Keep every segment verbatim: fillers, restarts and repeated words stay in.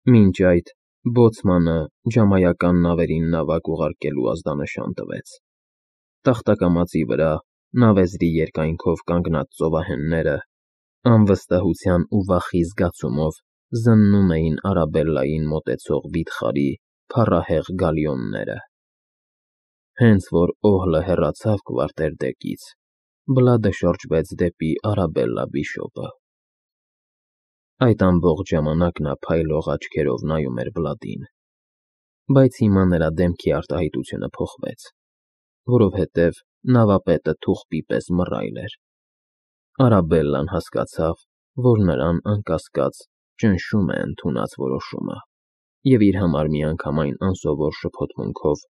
Մինչ այդ բոցմանը ջամայական նավերին նավակ ուղարկելու ազդանշան տվեց։ Տախտակամածի վրա նավեզրի երկայնքով կանգնած ծովահենները անվստահության ու վախի զգացումով զննում էին Արաբելլային մոտեցող վիթխարի փառահեղ գալիոնները։ Հենց որ օհլը հեռացավ կվարտերդեկից, Բլադը շրջվեց դեպի Արաբելլա բիշոպը։ Այդ ամբողջ ժամանակ նա փայլող աչքերով նայում էր Բլադին, բայց հիմա նրա դեմքի արտահայտությունը փոխվեց, որովհետև նավապետը թուղթի պես մռայլ էր։ Արաբելլան հասկացավ, որ նրան անկասկած ճնշում է ընդունած որոշումը, և իր համար միանգամայն անսովոր շփոթմունքով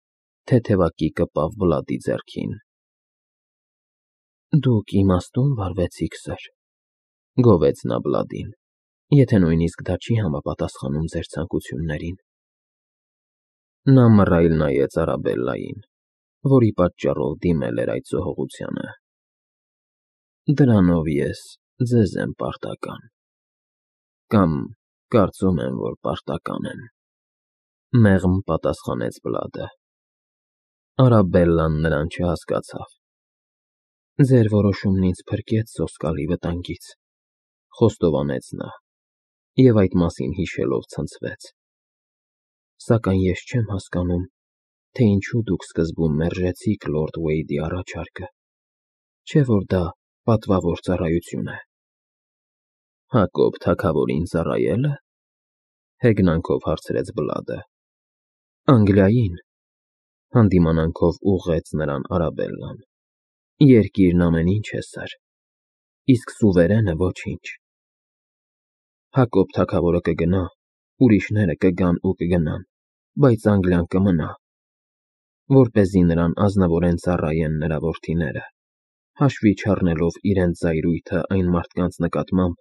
թեթևակի կպավ Բլադի ձեռքին։ Դուք իմաստո՞ւն վարվեցիք, սըր, գովեց նա Բլադին, եթե նույնիսկ դա չի համապատասխանում ձեր ցանկություններին։ Նա մռայլ նայեց Արաբելլային, որի պատճառով դիմել էր այդ զոհողությանը։ Դրանով ես ձեզ եմ պարտական, կամ կարծում եմ, որ պարտական եմ, մեղմ պատասխանեց Բլադը։ Արաբելլան նրան չհասկացավ։ Ձեր որոշումն ինձ փրկեց սոսկալի վտանգից, խոստովանեց նա, և այդ մասին հիշելով ցնցվեց։ Սակայն ես չեմ հասկանում, թե ինչու դուք սկզբում մերժեցիք լորդ Ուեյդի առաջարկը, չէ՞ որ դա պատվավոր ծառայություն է։ Հակոբ թագավորին ծառայե՞լը, հեգնանքով հարցրեց Բլադը։ Անգլիային, հանդիմանանքով ուղղեց նրան Արաբելլան։ Երկիրն ամեն ինչ է, սըր, իսկ սուվերենը ոչինչ։ Հակոբ թագավորը կգնա, ուրիշները կգան ու կգնան, բայց Անգլիան կմնա, որպեսզի նրան ազնվորեն ծառայեն նրա որդիները, հաշվի չառնելով իրենց զայրույթը այն մարդկանց նկատմամբ,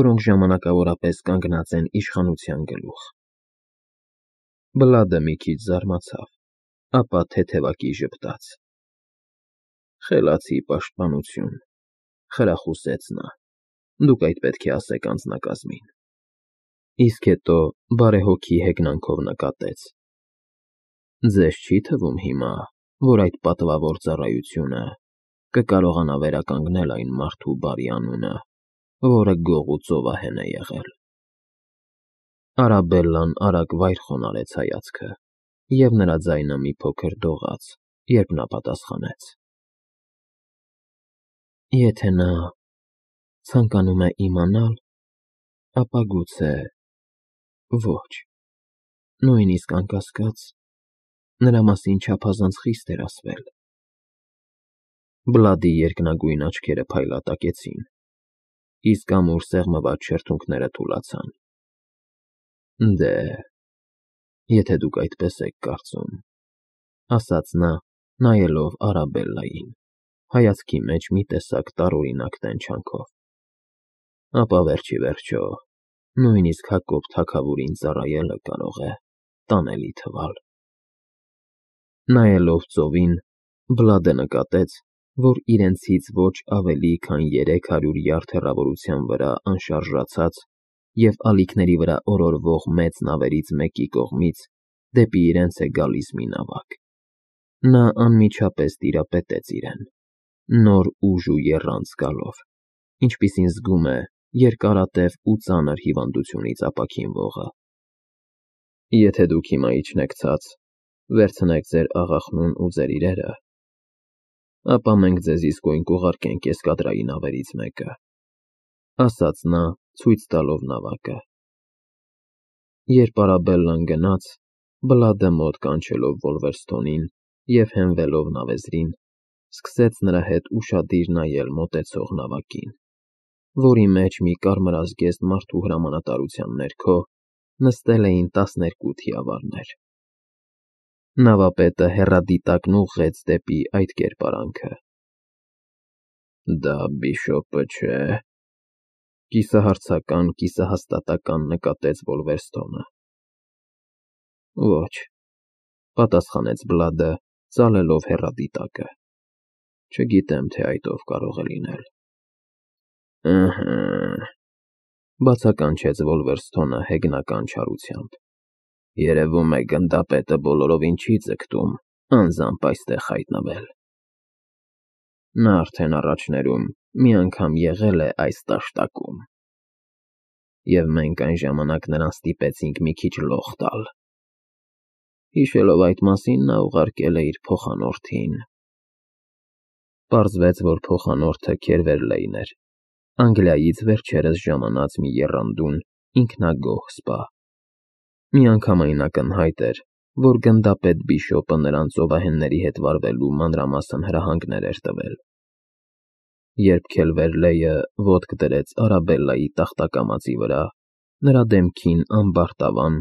որոնք ժամանակավորապես կանգնած են իշխանության գլուխ։ Բլադը մի քիչ զարմացավ, ապա թեթևակի ժպտաց։ Խելացի պաշտպանություն, խրախուսեց նա, դուք այդ պետք է ասեք անձնակազմին։ Իսկ հետո բարեհոգի հեգնանքով նկատեց. Ձեզ չի թվում հիմա, որ այդ պատվավոր ծառայությունը կկարողանա վերականգնել այն մարդու բարի անունը, որը գող ու ծովահեն է եղել։ Արաբելլան արագ վայր խոնարհեց հայացքը, և նրա ձայնը մի փոքր դողաց, երբ նա պատասխանեց. Եթե նա ցանկանում է իմանալ, ապա գուցե ոչ, նույնիսկ անկասկած, նրա մասին չափազանց խիստ էր ասվել։ Բլադի երկնագույն աչքերը փայլատակեցին, իսկ ամուր սեղմված շրթունքները թուլացան։ Դե, եթե դուք այդպես եք կարծում, ասաց նա, նայելով Արաբելլային, հայացքի մեջ մի տեսակ տարօրինակ տենչանքով, ապա վերջիվերջո, նույնիսկ Հակոբ թագավորին ծառայելը կարող է տանելի թվալ։ Նայելով ծովին, Բլադը նկատեց, որ իրենցից ոչ ավելի քան երեք հարյուր յարդ հեռավորության վրա անշարժացած և ալիքների վրա օրորվող մեծ նավերից մեկի կողմից դեպի իրենց է գալիս մի նավակ։ Նա անմիջապես տիրապետեց իրեն, նոր ուժ ու եռանց գալով, ինչպիսին զգում է երկարատև ու ծանր հիվանդությունից ապաքինվողը։ Եթե դուք հիմա իջնեք ցած, վերցնեք ձեր աղախնուն ու ձեր իրերը, ապա մենք ձեզ իսկույն կուղարկենք էսկադրայի նավերից մեկը, ասաց նա, ցույց տալով նավակը։ Երբ Արաբելլան գնաց, Բլադը մոտ կանչելով Վոլվերստոնին և հենվելով նավեզրին, սկսեց նրա հետ ուշադիր նայել մոտեցող նավակին, որի մեջ մի կարմրազգեստ մարդու հրամանատարության ներքո նստել էին տասներկու թիավարներ։ Նավապետը հեռադիտակն ուղղեց դեպի այդ կերպարանքը։ Դա բիշոպը չէ՞, կիսահարցական, կիսահաստատական նկատեց Վոլվերստոնը։ Ոչ, պատասխանեց Բլադը, ծալելով հեռադիտակը։ Չգիտեմ, թե այդ ով կարող է լինել։ Ըհը, Բացականչեց Վոլվերսթոնը հեգնական չարությամբ։ Երևում է գնդապետը բոլորովին չի ձգտում անձամբ այստեղ հայտնվել։ Նա արդեն առաջներում մի անգամ եղել է այս տաշտակում, և մենք այն ժամանակ նրան ստիպեցինք մի քիչ լող տալ։ Հիշելով այդ մասին, նա ուղարկել է իր փոխանորդին։ Պարզվեց, որ փոխանորդը Քերվերլեյն էր, Անգլիայից վերջերս ժամանած մի եռանդուն, ինքնագոհ սպա։ Միանգամայն ակնհայտ էր, որ գնդապետ Բիշոպը նրան ծովահենների հետ վարվելու մանրամասն հրահանգներ էր տվել։ Երբ Քերվերլեյը ոտք դրեց Արաբելլայի տախտակամածի վրա, նրա դեմքին ամբարտավան,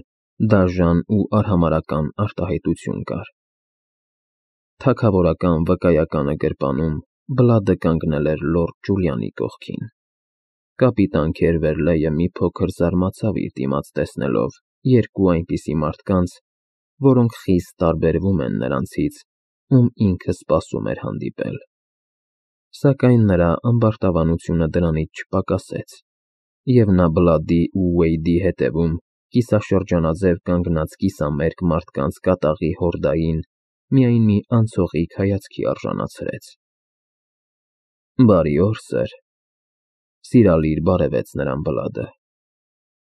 դաժան ու արհամարհական արտահայտություն կար։ Թագավորական վկայականը գրպանում Բլադը կանգնել էր լորդ Ջուլիանի կողքին։ Կապիտան Քերվերլեյը մի փոքր զարմացավ իր դիմաց տեսնելով երկու այնպիսի մարդկանց, որոնք խիստ տարբերվում են նրանցից, ում ինքը սպասում էր հանդիպել։ Սակայն նրա ամբարտավանությունը դրանից չպակասեց, և նա Բլադի ու Ուեյդի հետևում կիսաշրջանաձև կանգնած կիսամերկ մարդկանց կատաղի հորդային միայն մի անցողիկ հայացքի արժանացրեց։ «Բարի օր, սըր,֊ սիրալիր բարևեց նրան Բլադը,֊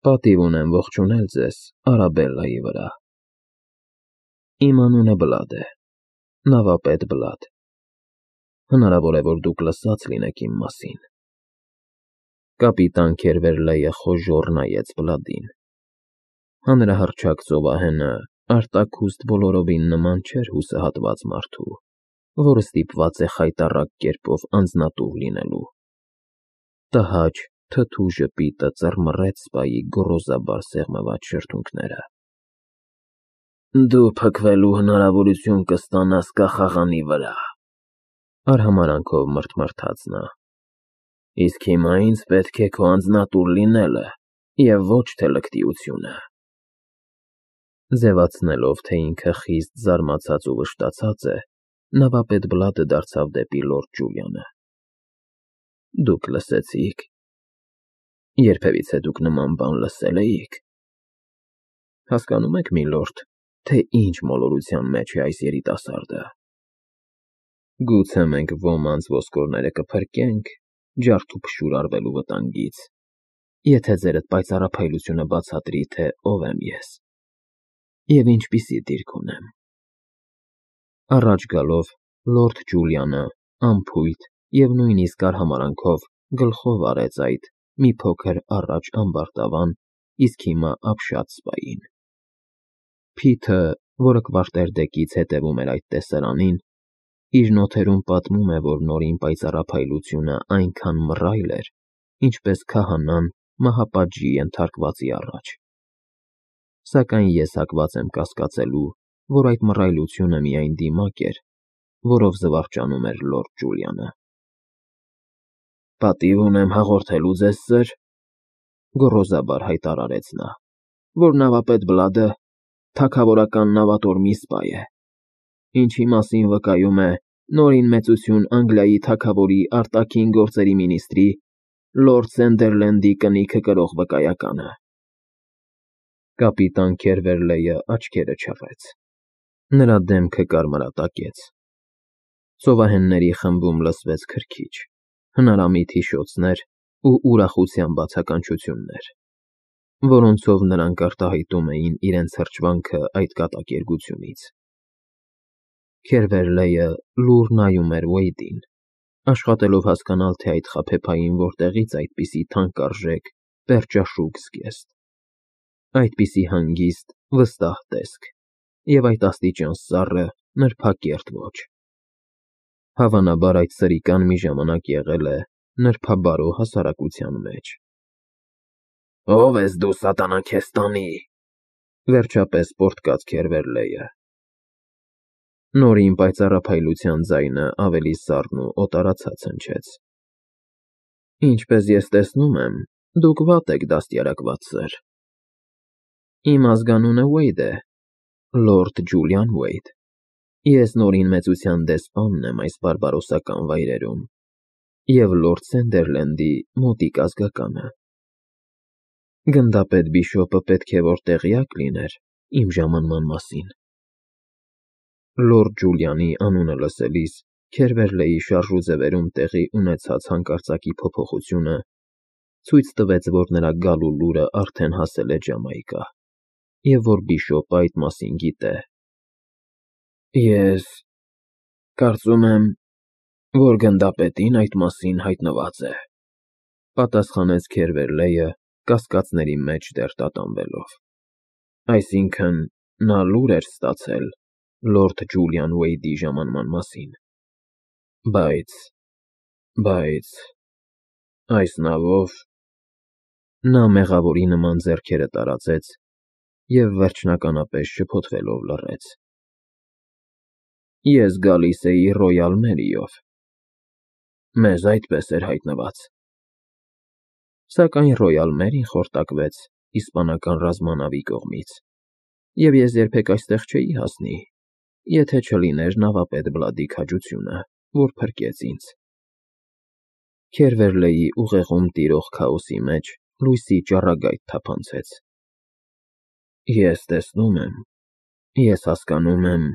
պատիվ ունեմ ողջունել ձեզ Արաբելլայի վրա։ Իմ անունը Բլադ է, նավապետ Բլադ։ Հնարավոր է, որ դուք լսած լինեք իմ մասին»։ Կապիտան Քերվերլեյը խոժոռ նայեց Բլադին։ Հանրահռչակ ծովահենը արտաքուստ բոլորովին նման չէր հուսահատված մարդու, որը ստիպված է խայտառակ կերպով անձնատուր լինելու։ Տհաճ, թթու ժպիտը ծռմռեց սպայի գոռոզաբար սեղմված շրթունքները։ «Դու փքվելու հնարավորություն կստանաս կախաղանի վրա,֊ արհամարհանքով մռթմռթաց նա,֊ իսկ հիմա ինձ պետք է քո անձնատուր լինելը և ոչ թե լկտիությունը»։ Ձևացնելով, թե ինքը խիստ զարմացած ու վշտացած է, նավապետ Բլադը դարձավ դեպի լորդ Ջուլիանը։ «Դուք լսեցի՞ք։ Երբևիցե դուք նման բան լսե՞լ էիք։ Հասկանո՞ւմ եք, միլորդ, թե ինչ մոլորության մեջ է այս երիտասարդը։ Գուցե մենք ոմանց ոսկորները կփրկենք ջարդուփշուր արվելու վտանգից, եթե ձերդ պայծառափայլությունը բացատրի, թե ով եմ ես և ինչպիսի դիրք ունեմ»։ Առաջ գալով, լորդ Ջուլիանը անփույթ և նույնիսկ արհամարհանքով գլխով արեց այդ մի փոքր առաջ ամբարտավան, իսկ հիմա ապշած սպային։ Փիթը, որը կվարտերդեկից հետևում էր այդ տեսարանին, իր նոթերում պատմում է, որ Նորին պայծառափայլությունը այնքան մռայլ էր, ինչպես քահանան մահապատժի ենթարկվածի առաջ։ Սակայն ես հակված եմ կասկածելու, որ այդ մռայլությունը միայն դիմակ էր, որով զվարճանում էր լորդ Ջուլիանը։ «Պատիվ ունեմ հաղորդելու ձեզ, սըր,֊ գոռոզաբար հայտարարեց նա,֊ որ նավապետ Բլադը թագավորական նավատորմի սպա է, ինչի մասին վկայում է Նորին մեծություն Անգլիայի թագավորի արտաքին գործերի մինիստրի լորդ Սանդերլենդի կնիքը կրող վկայականը»։ Կապիտան Քերվերլեյը աչքերը չռեց։ Նրա դեմքը կարմրատակեց։ Ծովահենների խմբում լսվեց քրքիջ, հնարամիտ հիշոցներ ու ուրախության բացականչություններ, որոնցով նրանք արտահայտում էին իրենց հրճվանքը այդ կատակերգությունից։ Քերվերլեյը լուռ նայում էր Ուեյդին, աշխատելով հասկանալ, թե այդ խաբեբային որտեղից այդպիսի թանկարժեք, պերճաշուք զգեստ, այդպիսի հանգիստ, վստահ տեսք և այդ աստիճան սառը, նրբակերտ ոճ։ Հավանաբար այդ սրիկան մի ժամանակ եղել է նրբաբարո հասարակության մեջ։ «Ո՞վ ես դու, սատանա քեզ տանի,֊ վերջապես պոռթկաց Քերվերլեյը։ Նորին պայծառափայլության ձայնը ավելի սառն ու օտարացած հնչեց։ «Ինչպես ես տեսնում եմ, դուք վատ եք դաստիարակված, սըր։ Իմ ազգանունը Ուեյդ է, լորդ Ջուլիան Ուեյդ։ Ես Նորին մեծության դեսպանն եմ այս բարբարոսական վայրերում և լորդ Սանդերլենդի մոտիկ ազգականը։ Գնդապետ բիշոպը պետք է որ տեղյակ լիներ իմ ժամանման մասին։ Լորդ Ջուլիանի անունը լսելիս Քերվերլեի շարժուձևերում տեղի ունեցած հանկարծակի փոփոխությունը ցույց տվեց, որ նրա գալու լուրը արդեն հասել է Ջամայկա, և որ բիշոպը այդ մասին գիտե։ Ես կարծում եմ, որ գնդապետին այդ մասին հայտնված է, պատասխանեց Քերվերլեյը, կասկածների մեջ դեռ տատանվելով։ Այսինքն՝ նա լուր էր ստացել լորդ Ջուլիան Ուեյդի ժամանման մասին։ Բայց… բայց… այս նավով… Նա մեղավորի նման ձեռքերը տարածեց և վերջնականապես շփոթվելով լռեց։ Ես գալիս էի Ռոյալ Մերիով։ Մեզ այդպես էր հայտնված։ Սակայն Ռոյալ Մերին խորտակվեց իսպանական ռազմանավի կողմից, և ես երբեք այստեղ չէի հասնի, եթե չլիներ նավապետ Բլադի քաջությունը, որ փրկեց ինձ։ Քերվերլեի ուղեղում տիրող քաոսի մեջ լույսի ճառագայթ թափանցեց։ Ես տեսնում եմ, ես հասկանում եմ…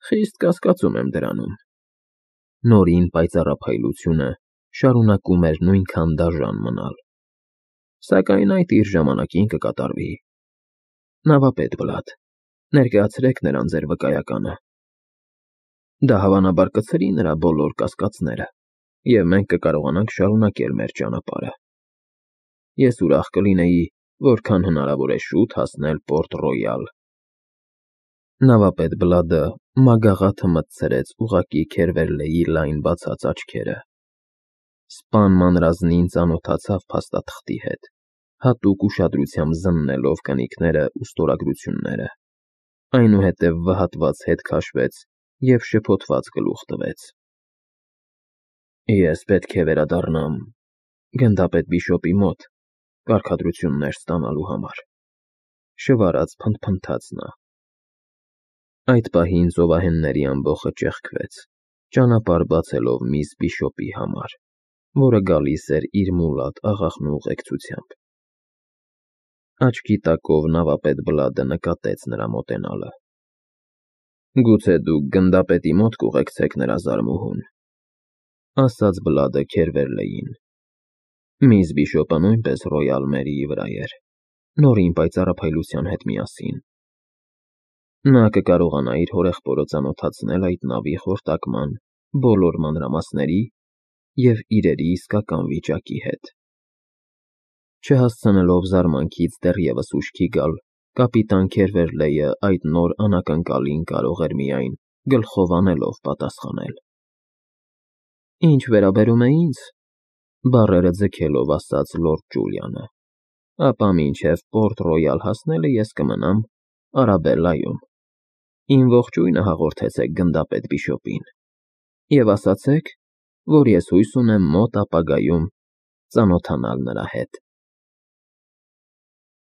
Խիստ կասկածում եմ դրանում։ Նորին պայծառափայլությունը շարունակում էր նույնքան դաժան մնալ։ Սակայն այդ իր ժամանակին կկատարվի։ Նավապետ Բլադ, ներկայացրեք նրան ձեր վկայականը։ Դա հավանաբար կցրի նրա բոլոր կասկածները, և մենք կկարողանանք շարունակել մեր ճանապարհը։ Ես ուրախ կլինեի որքան հնարավոր է շուտ հասնել Պորտ Ռոյալ։ Նավապետ Բլադը մագաղաթը մտցրեց ուղղակի Քերվերլեի լայն բացած աչքերը։ Սպան մանրազնին ծանոթացավ փաստաթղթի հետ, հատուկ ուշադրությամբ զննելով կնիկները ու ստորագրությունները, այնուհետև վհատված հետ քաշվեց և շփոթված գլուխ տվեց։ Ես պետք է վերադառնամ գնդապետ բիշոպի մոտ կարգադրություններ ստանալու համար, շվարած փնթփնթաց նա։ Այդ պահին ծովահենների ամբոխը ճեղքվեց, ճանապարհ բացելով միս բիշոպի համար, որը գալիս էր իր մուլատ աղախնու ուղեկցությամբ։ Աչքի տակով նավապետ Բլադը նկատեց նրա մոտենալը։ Գուցե դուք գնդապետի մոտ կուղեկցեք նրա զարմուհուն, ասաց Բլադը Քերվերլեյին։ Միս բիշոպը նույնպես Ռոյալ Մերիի վրա էր, նորին պայծառափայլության հետ միասին։ Նա կկարողանա իր հորեղբորը ծանոթացնել այդ նավի խորտակման բոլոր մանրամասների և իրերի իսկական վիճակի հետ։ Չհասցնելով զարմանքից դեռևս ուշքի գալ, կապիտան Քերվերլեյը այդ նոր անակնկալին կարող էր միայն գլխով անելով պատասխանել։ Ինչ վերաբերում է ինձ, բառերը ձգելով ասաց լորդ Ջուլիանը, ապա մինչև Պորտ Ռոյալ հասնելը ես կմնամ Արաբելլայում։ Իմ ողջույնը հաղորդեցեք գնդապետ բիշոպին և ասացեք, որ ես հույս ունեմ մոտ ապագայում ծանոթանալ նրա հետ։